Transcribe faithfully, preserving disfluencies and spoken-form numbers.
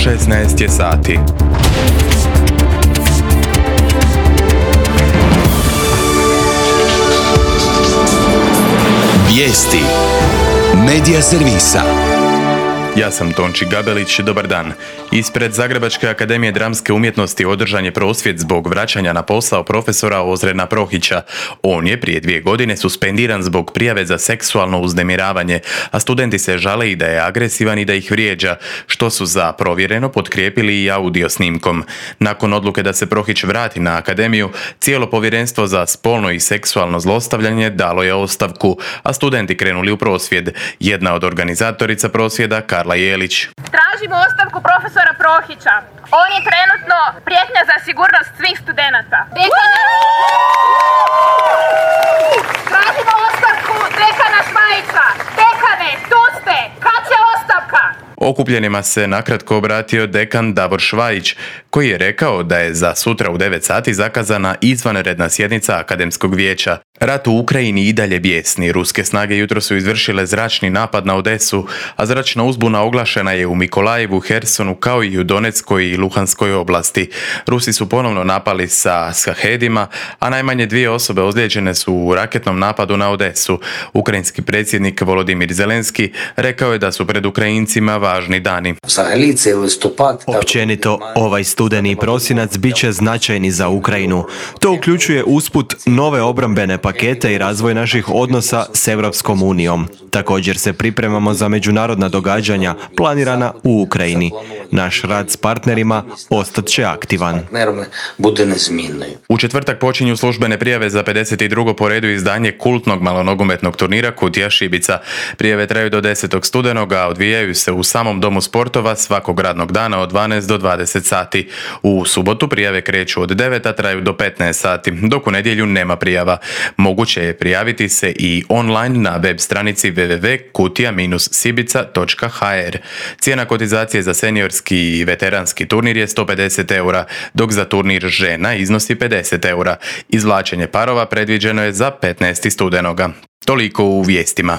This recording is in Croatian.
šesnaest je sati. Vijesti Medija servisa. Ja sam Tonči Gabelić, dobar dan. Ispred Zagrebačke akademije dramske umjetnosti održan je prosvjed zbog vraćanja na posao profesora Ozrena Prohića. On je prije dvije godine suspendiran zbog prijave za seksualno uznemiravanje, a studenti se žale i da je agresivan i da ih vrijeđa, što su za provjereno potkrijepili i audio snimkom. Nakon odluke da se Prohić vrati na akademiju, cijelo povjerenstvo za spolno i seksualno zlostavljanje dalo je ostavku, a studenti krenuli u prosvjed. Jedna od organizatorica prosvjeda, Karla Jelić. Tražimo ostavku profesora Prohića. On je trenutno prijetnja za sigurnost svih studenata. Tražimo ostavku dekana Švajića. Dekane, tu ste! Kad će ostavka? Okupljenima se nakratko obratio dekan Davor Švajić, koji je rekao da je za sutra u devet sati zakazana izvanredna sjednica Akademskog vijeća. Rat u Ukrajini i dalje bijesni. Ruske snage jutro su izvršile zračni napad na Odesu, a zračna uzbuna oglašena je u Mikolajevu, Hersonu kao i u Donetskoj i Luhanskoj oblasti. Rusi su ponovno napali sa Shahedima, a najmanje dvije osobe ozlijeđene su u raketnom napadu na Odesu. Ukrajinski predsjednik Volodimir Zelenski rekao je da su pred Ukrajincima važni dani. Općenito, ovaj studeni i prosinac bit će značajni za Ukrajinu. To uključuje usput nove obrambene pakete i razvoj naših odnosa s Europskom unijom. Također se pripremamo za međunarodna događanja planirana u Ukrajini. Naš rad s partnerima ostat će aktivan. U četvrtak počinju službene prijave za pedeset drugo po redu izdanje kultnog malonogometnog turnira Kutija Šibica. Prijave traju do desetog studenog, a odvijaju se u samom domu sportova svakog radnog dana od dvanaest do dvadeset sati. U subotu prijave kreću od devet, a traju do petnaest sati, dok u nedjelju nema prijava. Moguće je prijaviti se i online na web stranici w w w točka kutija sibica točka h r. Cijena kotizacije za seniorski i veteranski turnir je sto pedeset eura, dok za turnir žena iznosi pedeset eura. Izvlačenje parova predviđeno je za petnaesti studenoga. Toliko u vijestima.